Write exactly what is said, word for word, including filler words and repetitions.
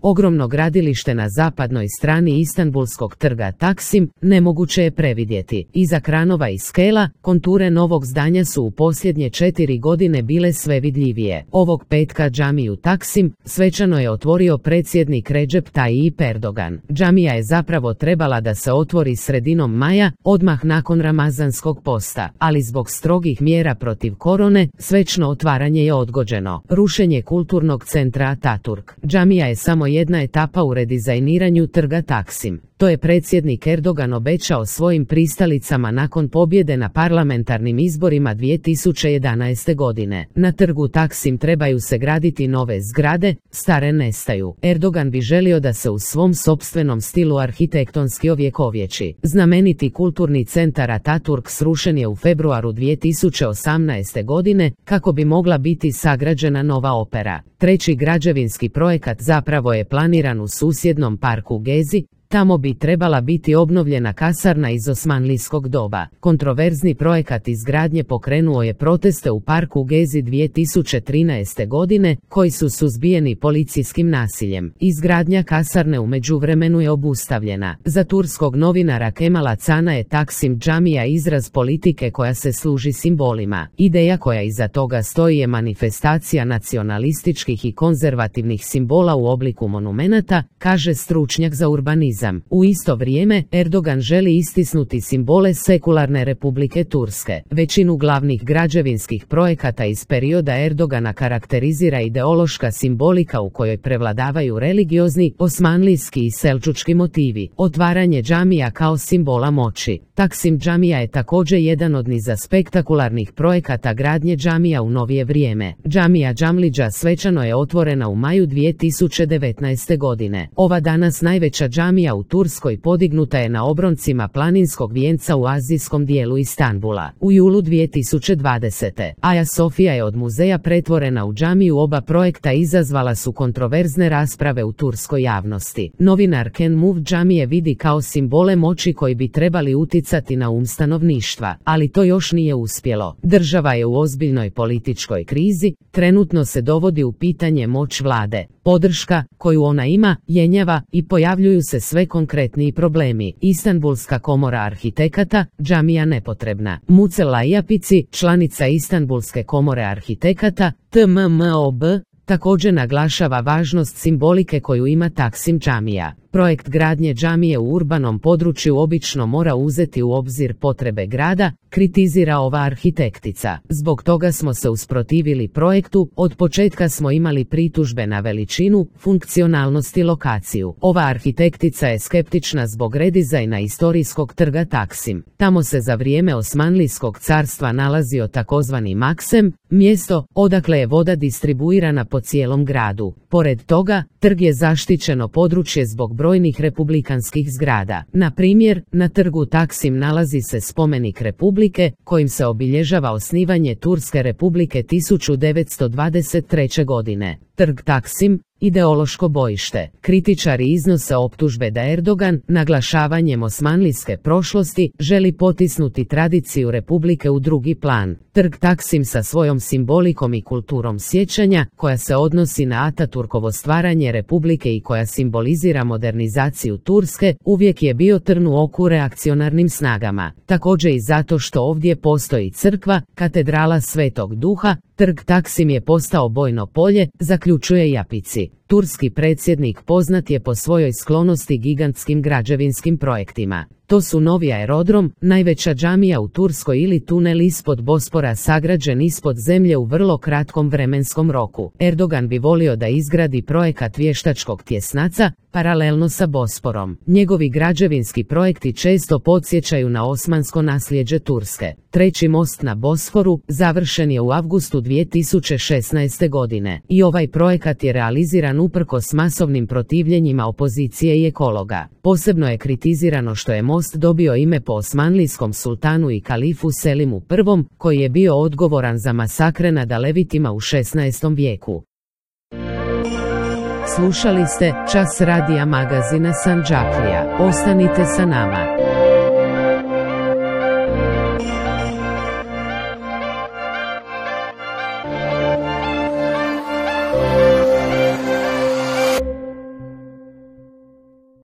Ogromno gradilište na zapadnoj strani Istanbulskog trga Taksim nemoguće je previdjeti. Iza kranova i skela, konture novog zdanja su u posljednje četiri godine bile sve vidljivije. Ovog petka džamiju Taksim svečano je otvorio predsjednik Recep Tayyip Erdogan. Džamija je zapravo trebala da se otvori sredinom maja, odmah nakon ramazanskog posta, ali zbog strogih mjera protiv korone, svečno otvaranje je odgođeno. Rušenje kulturnog centra Ataturk. Džamija je samo jedna etapa u redizajniranju trga Taksim. To je predsjednik Erdogan obećao svojim pristalicama nakon pobjede na parlamentarnim izborima dvije tisuće jedanaeste. godine. Na trgu Taksim trebaju se graditi nove zgrade, stare nestaju. Erdogan bi želio da se u svom sopstvenom stilu arhitektonski ovjekovječi. Znameniti kulturni centar Ataturk srušen je u februaru dvije tisuće osamnaeste. godine kako bi mogla biti sagrađena nova opera. Treći građevinski projekat zapravo je planiran u susjednom parku Gezi. Tamo bi trebala biti obnovljena kasarna iz osmanlijskog doba. Kontroverzni projekat izgradnje pokrenuo je proteste u parku Gezi dvije tisuće trinaeste. godine, koji su suzbijeni policijskim nasiljem. Izgradnja kasarne u međuvremenu je obustavljena. Za turskog novinara Kemala Cana je Taksim džamija izraz politike koja se služi simbolima. Ideja koja iza toga stoji je manifestacija nacionalističkih i konzervativnih simbola u obliku monumenata, kaže stručnjak za urbanizam. U isto vrijeme, Erdogan želi istisnuti simbole sekularne Republike Turske. Većinu glavnih građevinskih projekata iz perioda Erdogana karakterizira ideološka simbolika u kojoj prevladavaju religiozni, osmanlijski i selčučki motivi. Otvaranje džamija kao simbola moći. Taksim džamija je također jedan od niza spektakularnih projekata gradnje džamija u novije vrijeme. Džamija Džamlidža svečano je otvorena u maju dvije tisuće devetnaeste. godine. Ova danas najveća džamija u Turskoj podignuta je na obroncima planinskog vijenca u azijskom dijelu Istanbula. U julu dvije tisuće dvadesete. Aja Sofija je od muzeja pretvorena u džamiju. Oba projekta izazvala su kontroverzne rasprave u turskoj javnosti. Novinar Ken Move džamije vidi kao simbole moći koji bi trebali uticati na um stanovništva, ali to još nije uspjelo. Država je u ozbiljnoj političkoj krizi, trenutno se dovodi u pitanje moć vlade. Podrška koju ona ima jenjava i pojavljuju se sve konkretniji problemi. Istanbulska komora arhitekata, džamija nepotrebna. Mucela Japici, članica Istanbulske komore arhitekata, T M M O B, također naglašava važnost simbolike koju ima Taksim džamija. Projekt gradnje džamije u urbanom području obično mora uzeti u obzir potrebe grada, kritizira ova arhitektica. Zbog toga smo se usprotivili projektu, od početka smo imali pritužbe na veličinu, funkcionalnost i lokaciju. Ova arhitektica je skeptična zbog redizajna istorijskog trga Taksim. Tamo se za vrijeme Osmanlijskog carstva nalazio takozvani Maksem, mjesto odakle je voda distribuirana po cijelom gradu. Pored toga, trg je zaštićeno područje zbog brojnih republikanskih zgrada. Na primjer, na trgu Taksim nalazi se spomenik Republike, kojim se obilježava osnivanje Turske Republike tisuću devetsto dvadeset treće. godine. Trg Taksim, ideološko bojište. Kritičari iznose optužbe da Erdogan, naglašavanjem osmanlijske prošlosti, želi potisnuti tradiciju Republike u drugi plan. Trg Taksim sa svojom simbolikom i kulturom sjećanja, koja se odnosi na Ataturkovo stvaranje Republike i koja simbolizira modernizaciju Turske, uvijek je bio trn u oku reakcionarnim snagama. Također i zato što ovdje postoji crkva, katedrala Svetog Duha, trg Taksim je postao bojno polje, zaključuje Japici. Turski predsjednik poznat je po svojoj sklonosti gigantskim građevinskim projektima. To su novi aerodrom, najveća džamija u Turskoj ili tunel ispod Bospora sagrađen ispod zemlje u vrlo kratkom vremenskom roku. Erdogan bi volio da izgradi projekat vještačkog tjesnaca, paralelno sa Bosporom. Njegovi građevinski projekti često podsjećaju na osmansko nasljeđe Turske. Treći most na Bosforu završen je u avgustu dvije tisuće šesnaeste. godine i ovaj projekat je realiziran uprkos masovnim protivljenjima opozicije i ekologa. Posebno je kritizirano što je most dobio ime po osmanlijskom sultanu i kalifu Selimu prvom, koji je bio odgovoran za masakre nad Alevitima u šesnaestom. vijeku. Slušali ste Čas radija magazina Sandžaklija. Ostanite sa nama.